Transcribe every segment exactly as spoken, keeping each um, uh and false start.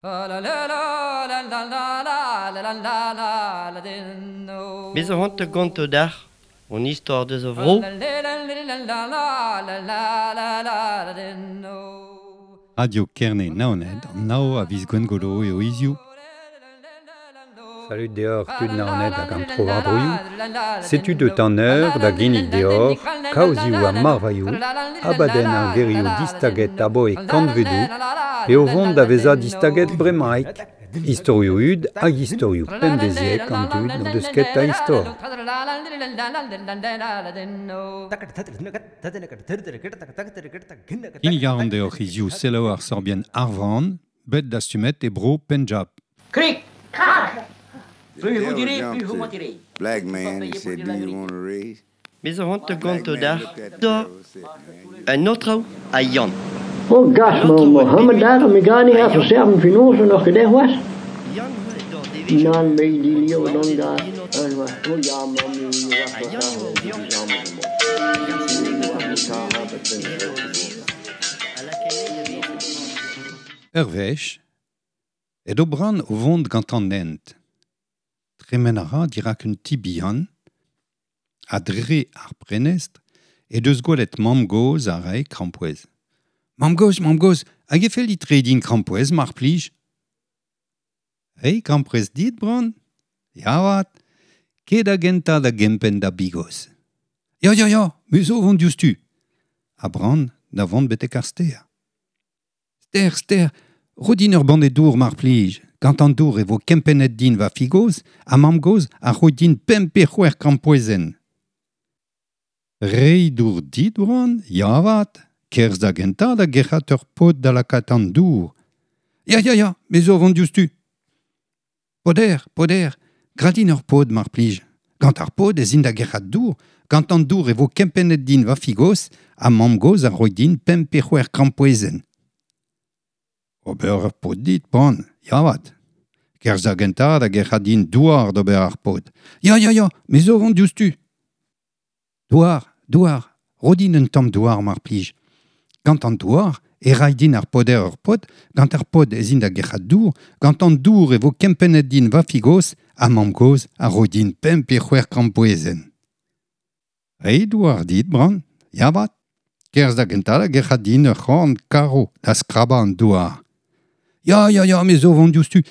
Me zo c'hoant da gontañ deoc'h an istor deus a vro. Radio Kerne Naoned, an nav a viz Gwengolo eo hiziv. Salud deoc'h tud Naoned hag an tro-war-droioù. Setu deut an eur da ginnig deoc'h kaozioù ha marvailhoù, abadenn ar gerioù distaget aboe kantvedoù pe o vont da vezañ distaget bremaik. Istorioù hud hag istorioù pemdeziek an dud n'o deus ket a istor. Kinnig a ran deoc'h hiziv selaou ar sorbienn Ar Vran, bet dastumet e bro Penjab. Krik, krak. The devil jumped to black man and said, do you want a raise? Me zo c'hoant da Black gontañ man deoc'h looked at the da devil and said, man, you un aotrou ha Yann. Oh gas, An aotrou ma oa Mohammed bet ar me gani ha ha Yann. serven finose noch gedech was? Yann oa d'ar devezhioù Nan me di an lio naoned don da en aotrou. an wa oh ya ma mi wa Ha Yann sa eo o di vioc'h. jam Hag ar senneg wa gant ta an ha buhez bet e hed an devezh a lakae da vezañ. Ur wech, edo Bran o vont gant an hent. Tremen a ra dirak un ti bihan, ha dre ar prenestr, e deus gwelet mamm-gozh a rae krampouezh. Mamm-gozh, mamm-gozh, hag e fell dit reiñ din krampouezh, mar plij? Reiñ krampouezh dit, Bran? Ya 'vat, ket da gentañ da gempenn da bigos. Ya, ya, ya, me zo vont diouzhtu. Ha Bran da vont betek ar stêr. Stêr, stêr, ro din ur banne dour mar plij. Gant an dour e vo kempennet din va figoz, ha mamm-gozh a ro din pemp pe c'hwec'h krampouezhenn. Reiñ dour dit, Bran? Ya 'vat, kerzh da gentañ da gerc'hat ur pod da lakaat an dour. Ya, ya, ya, me zo vont diouzhtu. Poder, poder, gra din ur pod mar plij. Gant ar pod ez in da gerc'hat dour, gant an dour e vo kempennet din va figoz, ha mamm-gozh a ro din pemp pe c'hwec'h krampouezhenn. Ober ur pod dit, Bran, ya 'vat. Kerzh da gentañ da gerc'hat din douar d'ober ar pod. Ya, ya, ya, me zo vont diouzhtu. Douar, douar, ro din un tamm douar mar plij. Gant an douar e ray din ar poder ur pod, gant ar pod ez in da gerc'hat dour, gant an dour e vo kempennet din va figoz, ha mamm-gozh a ro din pemp pe c'hwec'h krampouezhenn. Reiñ douar dit, Bran, ya 'vat. Kerzh da gentañ da gerc'hat din ur c'horn karo da skrabañ an douar. Ya, ya, ya, me zo vont diouzhtu.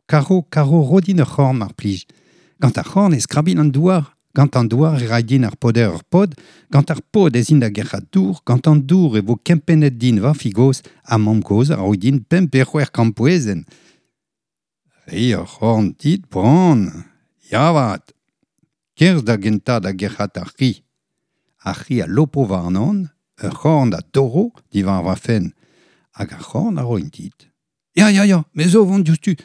Karo, karo, ro din ur c'horn mar plij. Gant ar c'horn e skrabin an douar, gant an douar e ray din ar poder ur pod, gant ar pod ez in da gerc'hat dour, gant an dour e vo kempennet din va figoz, ha mamm-gozh a ro din pemp pe c'hwec'h krampouezhenn. Reiñ ur c'horn dit, Bran, ya 'vat. Kerzh da gentañ da gerc'hat ar c'hi. Ar c'hi a lopo warnon, ur c'horn da dorro diwar va fenn, hag ar c'horn a roin dit. Ya, ya, ya, me zo vont diouzhtu.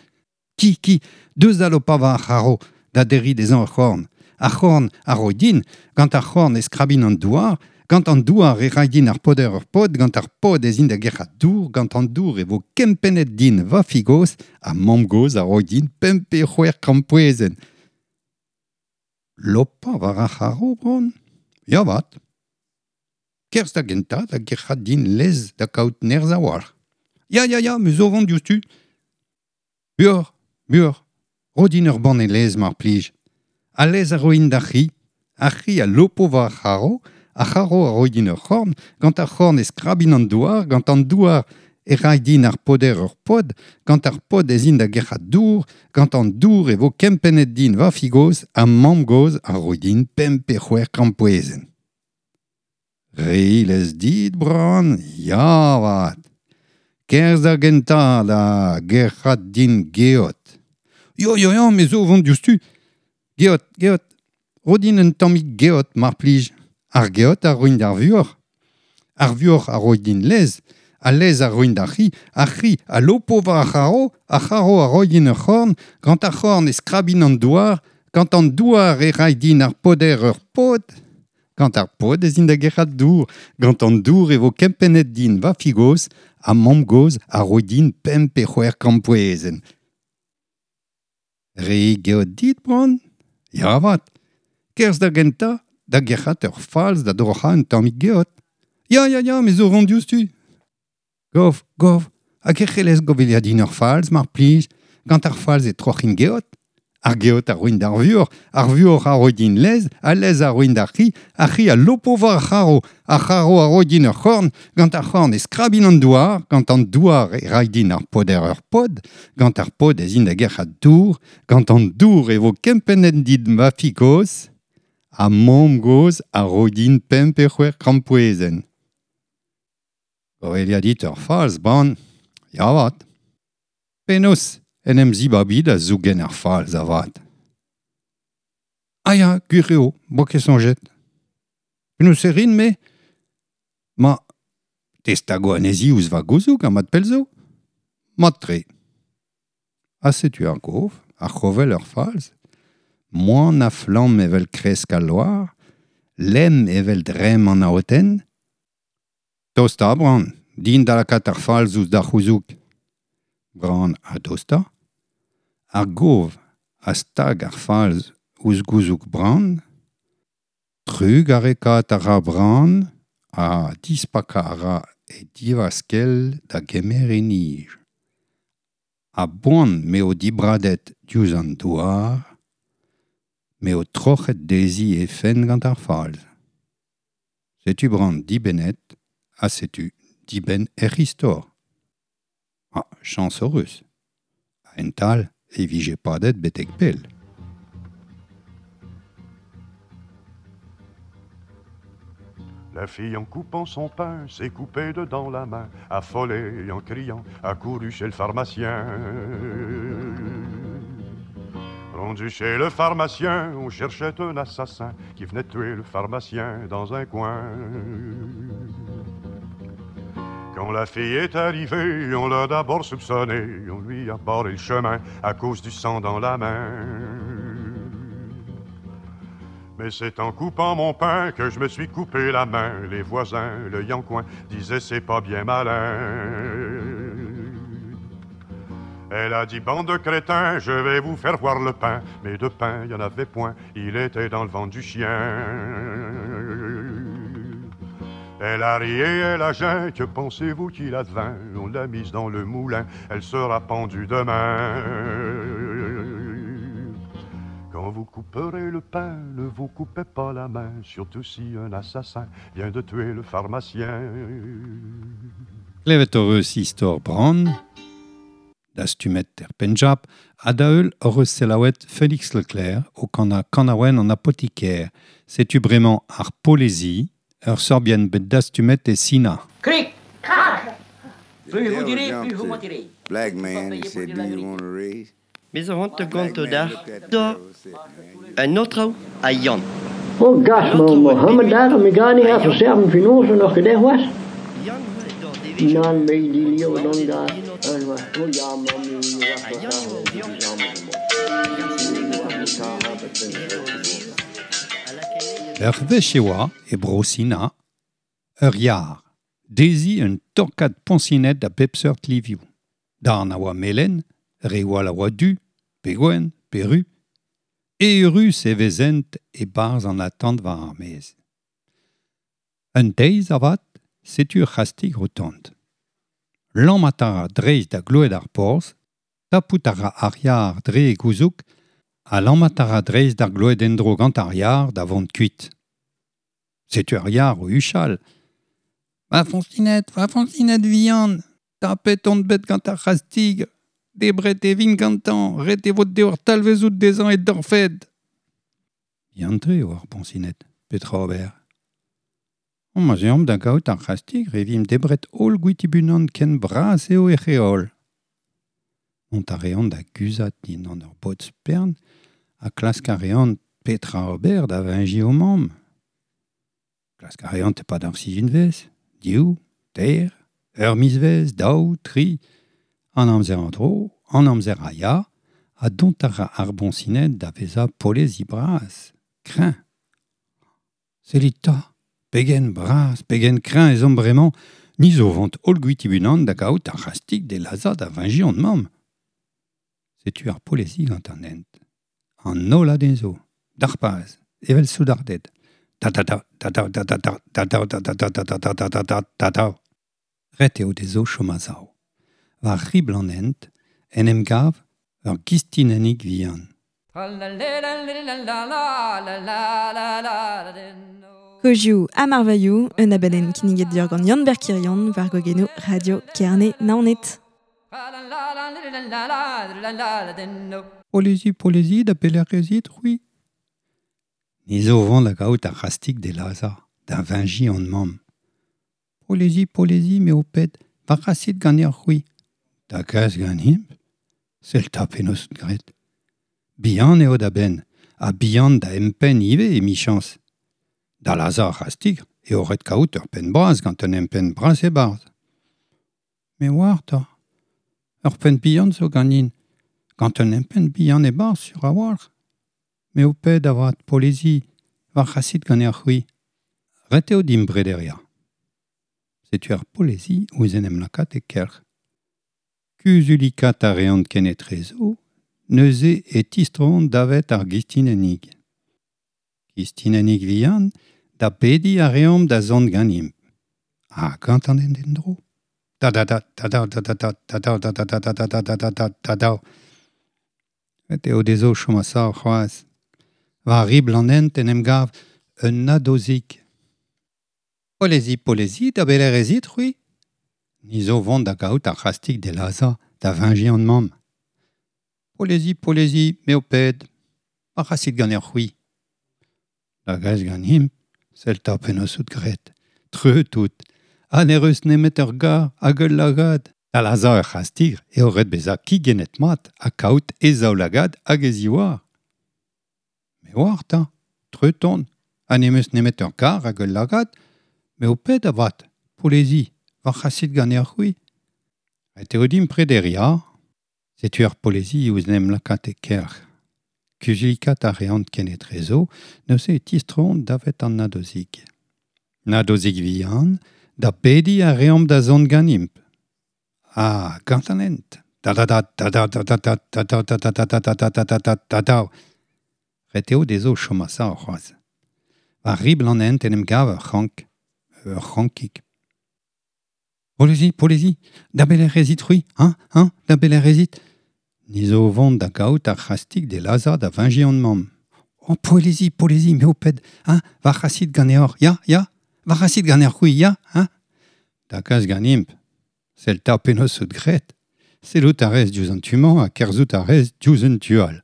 Ki, ki, deus da lopañ war ar c'haro, da derriñ dezhañ ur c'horn. Ar c'horn a ro din, gant ar c'horn e skrabin an douar, gant an douar e ray din ar poder ur pod, gant ar pod ez in da gerc'hat dour, gant an dour e vo kempennet din va figoz, ha mamm-gozh a ro din pemp pe c'hwec'h krampouezhenn. Lopañ war ar c'haro, Bran? Ya 'vat. Kerzh da gentañ da gerc'hat din lez da kaout nerzh a-walc'h. Ya, ya, ya, me zo vont diouzhtu. Buoc'h, buoc'h, ro din ur banne lez mar plij. Al lez a roin d'ar c'hi. Ar c'hi a lopo war ar c'haro, ar c'haro a ro din ur c'horn, gant ar c'horn e skrabin an douar, gant an douar e ray din ar poder ur pod, gant ar pod ez in da gerc'hat dour, gant an dour e vo kempennet din va figoz, ha mamm-gozh a ro din pemp pe c'hwec'h krampouezhenn. Reiñ lez dit, Bran, ya 'vat. Kerzh da gentañ da gerc'hat din geot. Yo, yo, yo, me zo vont diouzhtu. Geot, geot, ro din un tammig geot mar plij. Ar geot a roin d'ar vuoc'h. Ar vuoc'h a ro din lez, al lez a roin d'ar c'hi, ar c'hi a lopo war ar c'haro, ar c'haro a ro din ur c'horn, gant ar c'horn e skrabin an douar, gant an douar e ray din ar poder ur pod, gant ar pod ez in da gerc'hat dour, gant an dour e vo kempennet din va figoz, ha mamm-gozh a ro din pemp pe c'hwec'h krampouezhenn. Reiñ geot dit, Bran? Ya 'vat. Kerzh da gentañ da gerc'hat ur falz da droc'hañ un tammig geot. Ya, ya, ya, me zo vont diouzhtu. Gov, gov, Hag e c'hellez govelia din ur falz, mar plij, gant ar falz e troc'hin geot. Ar geot a roin d'ar vuoc'h, ar vuoc'h a ro din lez, a lez a roin d'ar c'hi, ar c'hi a lopo war ar c'haro, ar c'haro a ro din ur c'horn, gant ar c'horn e skrabin an douar, gant an douar e rai din ar poder ur pod, gant ar pod ez in da gerc'hat dour, gant an dour e vo kempennet dit ma fi gozh, ha mamm gozh a ro din pemp pe c'hwec'h krampouezhenn. Govelia dit ur falz, ban, ya avat. Penaos en em zibabi da zougen ar falz avat. Ah ya, gwir eo, bo ket soñjet. Penaos e rin, me? Ma, te stago anezhi ouzh va gouzoug ha mat pell zo? Mat-tre. Ha setu ar gov, ar c'hovel ur falz, moan a flamm evel kresk al loar, lemm evel dremm an aotenn. Tosta, Bran, din da lakaat ar falz ouzh da c'houzoug. Bran a dosta. Ar gov a stag ar falz ouzh gouzoug Bran. Trug arekaat a ra Bran ha dispakañ a ra e divaskell da gemer e nij. A-boan m'eo dibradet diouzh an douar, m'eo troc'het dezhi he fenn gant ar falz. Setu Bran dibennet, ha setu dibenn hec'h istor. Ah, chañs hoc'h eus. A-hent-all e vije padet betek pell. La fille en coupant son pain s'est coupée dedans la main, affolée en criant, a couru chez le pharmacien. Rendu chez le pharmacien, on cherchait un assassin qui venait tuer le pharmacien dans un coin. Quand la fille est arrivée, on l'a d'abord soupçonnée, on lui a barré le chemin à cause du sang dans la main. Mais c'est en coupant mon pain que je me suis coupé la main. Les voisins, le yancoin, disaient c'est pas bien malin. Elle a dit bande de crétins, je vais vous faire voir le pain. Mais de pain, il n'y en avait point, il était dans le ventre du chien. Elle a ri et elle a geint, que pensez-vous qu'il advint? On l'a mise dans le moulin, elle sera pendue demain. Quand vous couperez le pain, ne vous coupez pas la main, surtout si un assassin vient de tuer le pharmacien. Klevet hoc'h eus istor Bran, dastumet er Penjab, ha da heul hoc'h eus selaouet Félix Leclerc o kanañ kanaouenn an apotiker. Setu bremañ ar Polezi, ur sorbienn bet dastumet e Sina. Krik, krak. The Plus vous devil direz, jumped plus vous to mentirez. Black Faut pas man and payer pour said, dire do la you vérité. want a raise? Bez a vant Black gant man d'ar looked at the da devil and said, man, you un autre a Yann. Oh gas, ma Mohammed daar, mi ga niet even serven finoze nog gedaan was. Yann d'or devezh. Nan me die leo dan daar. En was, oh ja, mammy, was A Yann eo Ur wech e oa, e bro Sina, ur yar, dezhi un torkad poñsined a bep seurt livioù. Darn a oa melen, re oa a oa du, pe gwenn, pe ru. Eürus e vezent e-barzh an atant war ar maez. Un deiz avat, setu ur c'hastig o tont. Lammat a ra dreist da gloed ar porzh, tapout a ra ar yar dre e gouzoug, ha lammat a ra dreist d'ar gloed en-dro gant ar yar da vont kuit. Setu ar yar o huchal. Va foñsined, va foñsined vihan, tapet on bet gant ar c'hastig, debret e vin gantañ, ret e vo deoc'h talvezout dezhañ e dorfed. Bihan-tre eo ar poñsined, petra ober? O ma 'z eomp da gaout ar c'hastig e vimp debret holl gwitibunan ken bras eo e c'heol. Mont a reont da guzhat dindan ur bod spern ha klask a reont petra ober da veñjiñ o mamm. Klask a reont e-pad ar sizhunvezh, div, teir, ur mizvezh, daou, tri, an amzer an dro, an amzer a ya, ha dont a ra ar boñsined da vezañ polezi bras, kreñv. Sellit 'ta, pegen bras, pegen kreñv ez omp bremañ, ni zo vont holl gwitibunan da gaout ar c'hastig d'e lazhañ da veñjiñ hon mamm. Setu ar polezi gant an hent. An holl a dezho, d'ar paz, evel soudarded. Da da da, da da da da da da da da da da da da da da da da da. Ret eo dezho chom a-sav. War ribl an hent, en em gav ur gistinennig vihan. Kozioù ha marvailhoù, un abadenn kinniget deoc'h gant Yann-Ber Quirion war gogenoù Radio Kerne Naoned. Polezi, polezi, da pelec'h ez it, c'hwi. Ni zo vont da gaout ar c'hastig de Laza, da veñjiñ hon mamm. Polezi, polezi, me ho ped, va c'hasit ganeoc'h c'hwi. Da gas ganimp, sell 'ta penaos out graet. Bihan eo da benn, ha bihan da empenn ivez emichañs. Da Laza ar c'hastig eo ret kaout ur penn bras gant un empenn bras e-barzh. Me oar 'ta. Ur penn bihan zo ganin, gant un empenn bihan e-barzh sur a-walc'h. Me ho ped avat, polezi, va c'hasit ganeoc'h c'hwi. Ret eo dimp brederiañ. Setu ar polezi ouzh en em lakaat e kelc'h. Kuzulikat a reont kenetrezo, neuze e tistroont davet ar gistinennig. Gistinennig vihan, da bediñ a reomp da zont ganimp. Ha gant an hent en-dro. Da da da da da da da da da da da da da da da da da da da da. Ret eo dezho chom a-sav c'hoazh. War ribl an hent en em gav un nadozik. Polezi, polezi, da belec'h ez it, c'hwi. Ni zo vont da gaout ar c'hastig de Laza, da veñjiñ hon mamm. Polezi, polezi, me ho ped, va c'hasit ganeoc'h c'hwi. Da gas ganimp, sell 'ta penaos out graet. Treut out, ha ne reus nemet ur gar hag ul lagad. Da Laza ur c'hastig eo ret bezañ kigennet mat ha kaout e zaoulagad hag e ziwar. Me oar 'ta, treut on, ha n'em eus nemet ur gar hag ul lagad, me ho ped avat, polezi, va c'hasit ganeoc'h c'hwi. Ret eo dimp prederiañ, setu ar polezi ouzh en em lakaat e kelc'h. Kuzulikat a reont kenetrezo, neuze e tistroont davet an nadozik. Nadozik vihan, da bediñ a reomp da zont ganimp. Ha gant an hent. Da da da da da da da da da da da da da da da da da da da da. Ret eo dezho chom a-sav c'hoazh. War ribl an hent en em gav ur c'hrank, ur c'hrankig. Polezi, polezi, da belec'h ez it c'hwi, hein, hein, da belec'h ez it. Ni zo vont da gaout ar c'hastig de Laza da veñjiñ hon mamm. Oh, polezi, polezi, me ho ped, hein, va c'hasit ganeoc'h, ya, ya, va c'hasit ganeoc'h c'hwi, ya, hein. Da gas ganimp, sell 'ta penaos out graet. Sellout a rez diouzh an tu-mañ ha kerzhout a rez diouzh an tu all.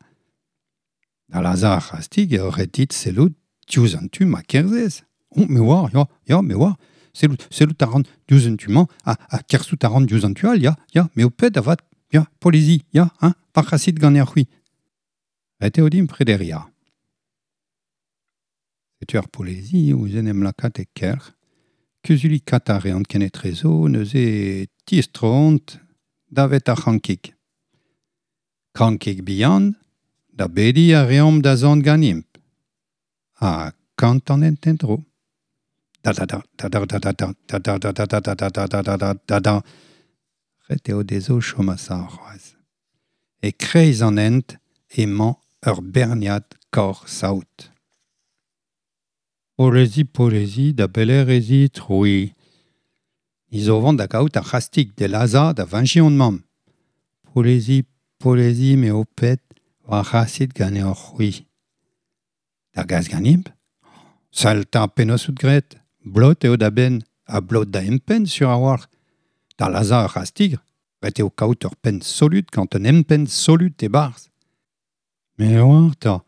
Da Laza ar c'hastig eo ret dit sellout diouzh an tu ma kerzhez. Oh, me oar, ya, ya, me oar. Sellout, sellout a ran diouzh an tu-mañ ha, ha kerzhout a ran diouzh an tu all, ya, ya, me ho ped avat, ya, polezi, ya, hein, va c'hasit ganeoc'h c'hwi. Ret eo dimp prederiañ. Setu ar polezi ouzh en em lakaat e kelc'h. Kuzulikat a reont kenetrezo, neuze e tistroont davet ar c'hrankig. Krankig bihan, da bediñ a reomp da zont ganimp. Ha gant an hent en-dro. Da da da da da da da da da da da da da da da da da da da da. Ret eo dezho chom a-sav c'hoazh. E kreiz an hent emañ ur berniad kaoc'h saout. Polezi, polezi, da belec'h ez it, c'hwi. Ni zo vont da gaout ar c'hastig de Laza da veñjiñ hon mamm. Polezi, polezi, me ho ped, va c'hasit ganeoc'h c'hwi. Da gas ganimp. Sell 'ta penaos out graet. Blot eo da benn, ha blot da empenn sur a-walc'h. Da Laza ur c'hastig, ret eo kaout ur penn solut gant un empenn solut e-barzh. Me oar 'ta,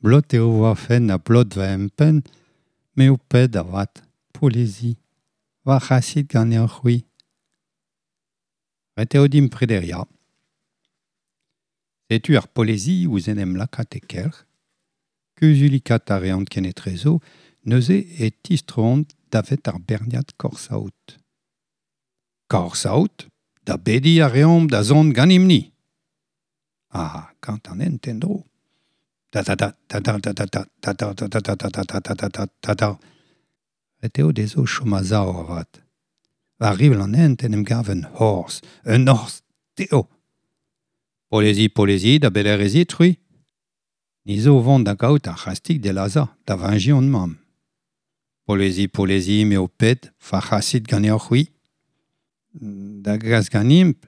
blot eo va fenn ha blot va empenn, me ho ped avat, polezi, va c'hasit ganeoc'h c'hwi. Ret eo dimp prederiañ. Setu ar polezi ouzh en em lakaat e kelc'h. Kuzulikat a reont kenetrezo, neuze e tistroont davet ar berniad kaoc'h-saout. Kaoc'h-saout, da bediñ a reomp da zont ganimp-ni. Ha gant an hent en-dro. Da da da da da da da da da da da da da da da da da da da da. Ret eo dezho chom a-sav avat. War ribl an hent en em gav un horzh, un horzh teo. Polezi, polezi, da belec'h ez it, c'hwi. Ni zo vont da gaout ar c'hastig de Laza, da veñjiñ hon mamm. Polezi, polezi, me ho ped, va c'hasit ganeoc'h c'hwi. Da gas ganimp,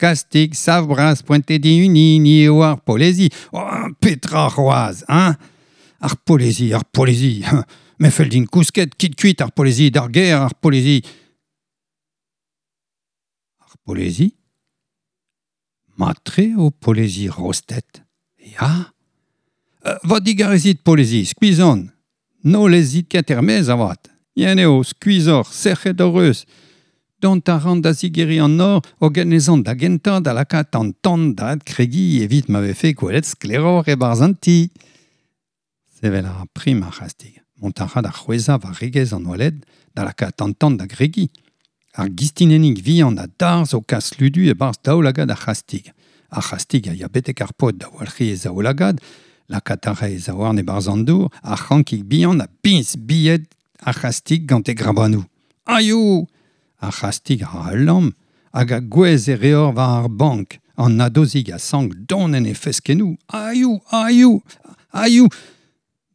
Kastig, savbras, pointe di uni, ni eo ar polezi. Oh, petra c'hoaz, hein? Ar polezi, ar polezi. Me fell din kousket, kit kuit ar polezi, d'ar ger ar polezi. Ar polezi? Matre o polezi rostet. Ya? Uh, va digarezit polezi, skuizon. No lezit ket er-maez avat. Yen eo, skuizor, sec'het hor eus. Dont a ran da zigeri an nor, hogen ez an da gentañ da lakaat an tan da adkregi evit ma vefe gwelet skleror e-barzh an ti. Sevel a ra prim ar c'hastig. Mont a ra da c'hwezhañ war regez an oaled da lakaat an tan da gregi. Ar gistinennig vihan a darzh o kas ludu e-barzh daoulagad ar c'hastig. Ar c'hastig a ya betek ar pod da walc'hiñ e zaoulagad, lakaat a ra e zaouarn e-barzh an dour, ar c'hankig bihan a biñs bilhed ar c'hastig gant e grabanoù. Aio! Ar c'hastig a ra ul lamm hag a gouez e reor war ar bank, an nadozig a sank don en e feskennoù. Aio! Aio! Aio!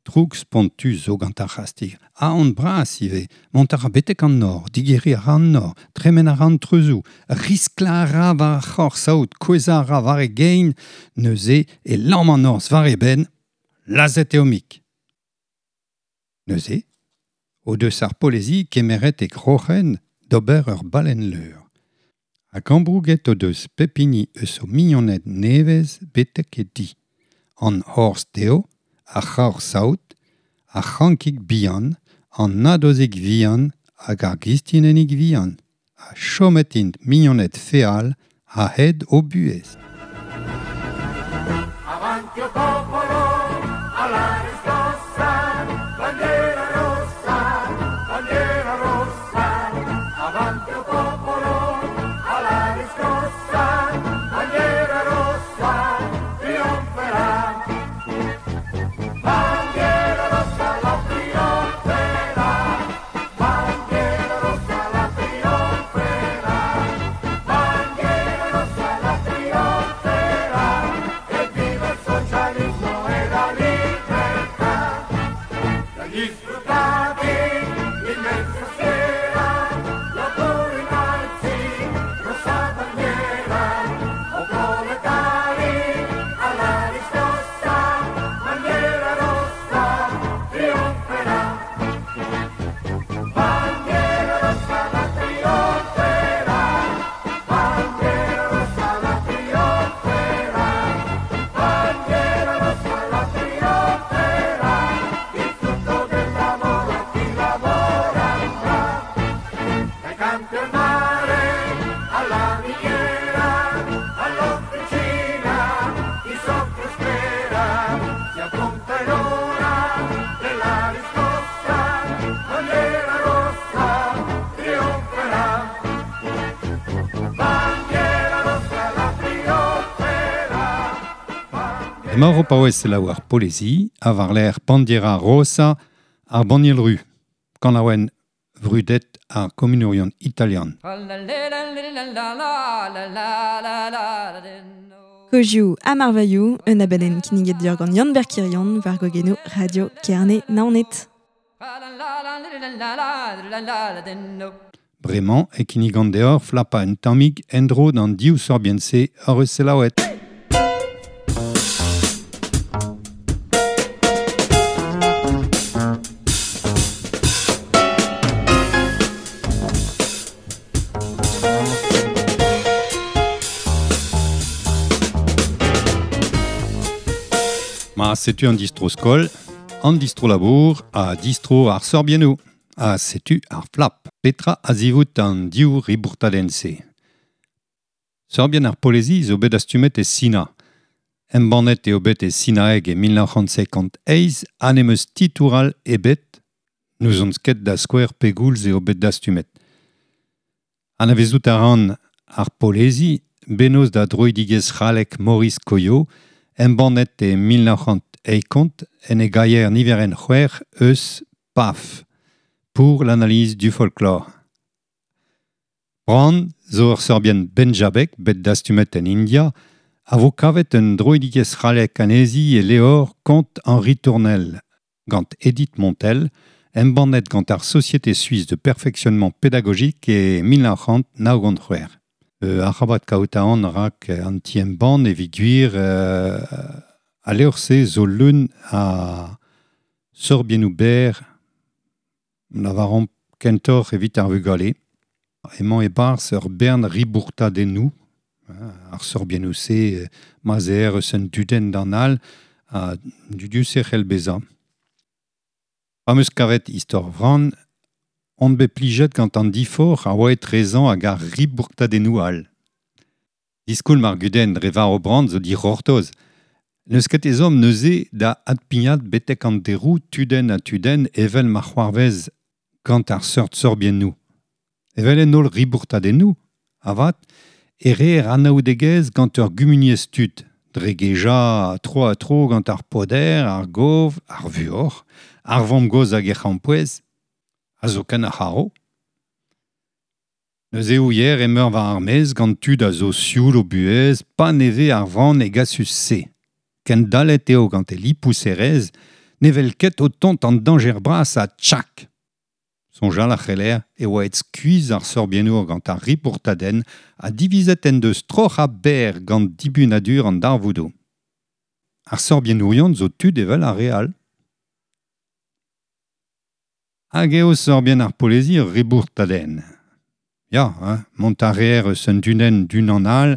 Droug spontus zo gant ar c'hastig. Aon bras ivez, mont a ra betek an nor, digeriñ a ra an nor, tremen a ra an treuzoù, risklañ a ra war ar c'horsaout, kouezhañ a ra war e gein, neuze e lamm an norzh war e benn, lazhet eo mik. Neuze, o deus ar polezi kemeret e groc'hen d'ober ur balenn-leur. Hag ambrouget o deus pep hini eus o mignoned nevez betek e di. An horzh dezho, ar c'horsaout, ar c'hankig bihan, an nadozig vihan hag ar gistinennig vihan. Ha chomet int mignoned feal a-hed o buhez. Avanti o popolo alla riscossa, bandiera rossa, bandiera rossa. Avanti o popolo alla riscossa, bandiera rossa, trionferà. Bandiera rossa la trionferà, bandiera rossa la trionferà, bandiera rossa la trionferà, e viva il socialismo e la libertà. Dagli sfruttati l'immensa schiera, la pure innalzi, rossa bandiera, o proletari alla riscossa, bandiera rossa trionferà. Bandiera rossa la trionferà, bandiera rossa la trionferà, bandiera rossa la trionferà, il frutto del lavoro a chi lavora andrà. Dai campi al mare, alla miniera, all'officina, chi soffre spera, si appunta in ora della riscossa, bandiera rossa trionferà. Bandiera rossa la trionferà. Emañ o paouez selaou ar polezi, a war l'air bandiera rosa ar banniel ru, kanaouenn vrudet ar komunourion italian. Kozioù ha marvailhoù, un abadenn kinniget deoc'h gant Yann Berkirion war gogenoù Radio Kerne Naoned. Bremañ e kinnigan deoc'h flapa un tammig en-dro d'an div sorbienn-se hor eus selaouet. Ma setu an distro skol, an distro labour ha distro ar sorbiennoù. Ha setu ar flap. Petra a zivout an div ribourtadenn-se. Sorbienn ar polezi zo bet astumet e Sina. Embannet eo bet e Sinaeg e mil nav c'hant cinquante eizh ha n'em eus titoural ebet, n'ouzon ket da skouer pegoulz eo bet dastumet. Anavezout a ran ar polezi, bennozh da droidigezh c'hallek Maurice Coyot, embannet e mil nav c'hant eikont en e gaier niverenn c'hwec'h eus P A F, pour l'analyse du folklore. Brand zo ur sorbienn benjabek bet dastumet en India, a vo kavet un droidigezh c'hallek anezhi e leor Comte Henri Tournel, gant Edith Montel, embannet gant ar Société suisse de perfectionnement pédagogique e mil nav c'hant nav gant c'hwec'h. Euh, arabat kaout an rak an ti-embann evit gwir euh, a levr-se zo leun a sorbiennoù berr lavaran kentoc'h evit ar vugale. Emañ e-barzh ur bern ribourtadennoù, ar sorbiennoù-se ma'z eo eus un dudenn d'an all ha dudius e c'hell bezañ. Pa 'm eus kavet istor vran, on bet plijet gant an diforc'h a oa etrezañ hag ar ribourtadennoù all. Diskoulm ar gudenn dre varv Brand zo dic'hortoz. N'eus ket ezhomm neuze da adpignat betek an deroù tudenn ha tudenn evel ma c'hoarvez gant ar seurt sorbiennoù. Evel en holl ribourtadennoù, avat, e reer anaoudegezh gant ur gumuniezh tud, dre gejañ tro ha tro gant ar poder, ar gov, ar vuoc'h, ar vamm-gozh hag he c'hrampouezh, a zo ken ar c'haro. Neuze ouier emeur war ar maez gant tud a zo sioul o buhez, pa neve ar vran e gasus-se. Ken dalet eo gant e lipouserez, ne vel ket o tont an dañjer bras ha tchak. Soñjal a c'heller e oa et skuizh ar sorbiennour gant ar ribourtadenn ha divizet en deus troc'h ha berr gant dibunadur an darvoudoù. Ar sorbiennourion zo tud evel ar re all. Hag eo sorbienn ar polezi ur ribourtadenn. Ya, hein, mont a reer eus un dunenn d'unan all,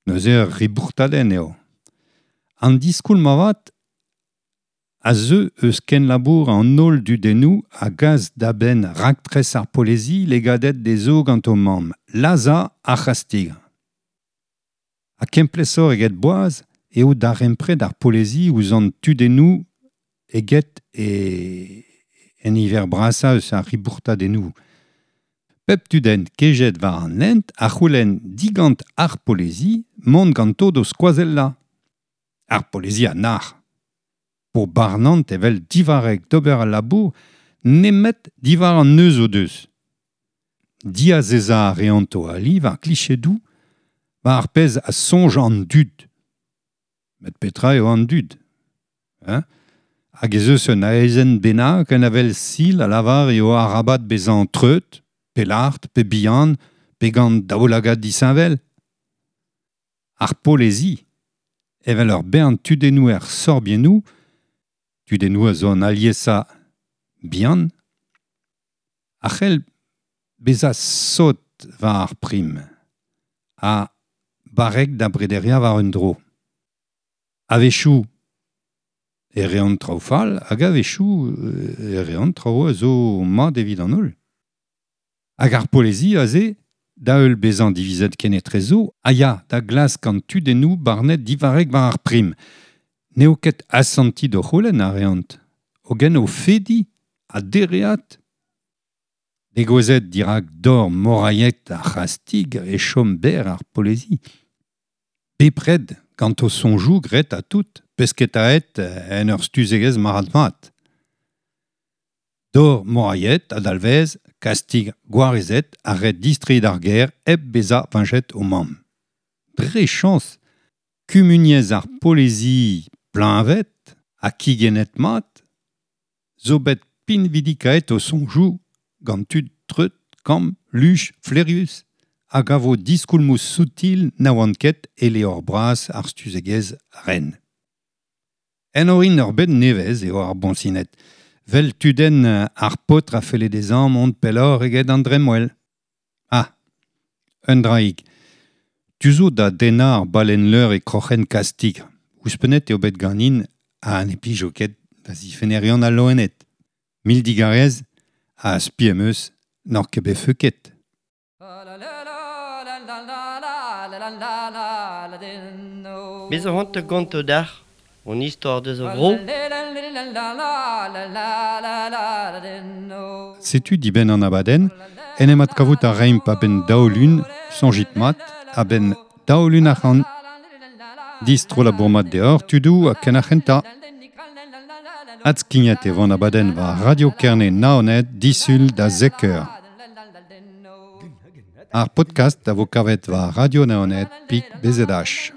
neuze ur ribourtadenn eo. An diskoulm avat a zeu eus kenlabour an holl dudennoù a gas da benn raktres ar polezi legadet dezho gant o mamm, lazhañ ar c'hastig. Ha kemplesoc'h eget boaz eo darempred ar polezi ouzh an tudennoù eget e en niver brasañ eus ar ribourtadennoù. Pep tudenn kejet war an hent a c'houlenn digant ar polezi mont ganto d'o skoazellañ. Ar polezi a nac'h. Po barnant evel divarrek d'ober al labour nemet diwar an neuz o deus. Diazezañ a reont o ali war klichedoù war ar pezh a soñj an dud. Met petra eo an dud, hein? Hag ez eus un aezenn bennak un avel sil a lavar eo arabat bezañ treut, pe lart, pe bihan, pe gant daoulagad disheñvel. Ar polezi, evel ur bern tudennoù er sorbiennoù, tudennoù a zo an aliesañ bihan, a c'hell bezañ sot war ar prim, ha barrek da brederiañ war un dro. A-wechoù e reont traoù fall, hag a-wechoù e reont traoù a zo mat evit an holl. Hag ar polezi aze, da heul bezañ divizet kenetrezo, a ya da glask an tudennoù barnet divarrek war ar prim. N'eo ket asanti d'o c'houlenn a reont, hogen o fediñ ha dereat. Degouezhet dirak dor morailhet ar c'hastig e chom berr ar polezi. Bepred gant o soñjoù graet ha tout, pesketaet en ur stuzegezh marc'had-mat. Dor morailhet a dalvez, kastig gwarezet a ret distreiñ d'ar gêr hep bezañ veñjet o mamm. Dre chañs, kumuniezh ar polezi pleñvet ha kigennet mat zo bet pinvidikaet o soñjoù gant tud treut, kamm, luch, flaerius hag a vo diskoulmoù soutil na oant ket e levr bras ar stuzegezh ren. En orin ur bed nevez eo ar boñsined, vel tudenn ar paotr a felle dezhañ mont pelloc'h eget an dremmwel. Ah, un draig. Tu zo da dennañ ar ballenn-leur e kroc'hen kastig. Ouzhpennet eo bet ganin ha ne plijo ket da zifennerion al loened. Mil digarez ha spi em eus n'oc'h ket bet feuket. Bez a c'hoant ganto dac'h, on istor deus a vro. Setu dibenn an abadenn, en em adkavout a raimp a-benn daou-lun, soñjit mat, a-benn daou-lun ac'hann. Distro labour mat deoc'h, tudoù ha ken ar c'hentañ. Adskignet e vo an abadenn war Radio Kerne Naoned disul da zek eur. Ar podcast a vo kavet war Radio Naoned pik B Z H.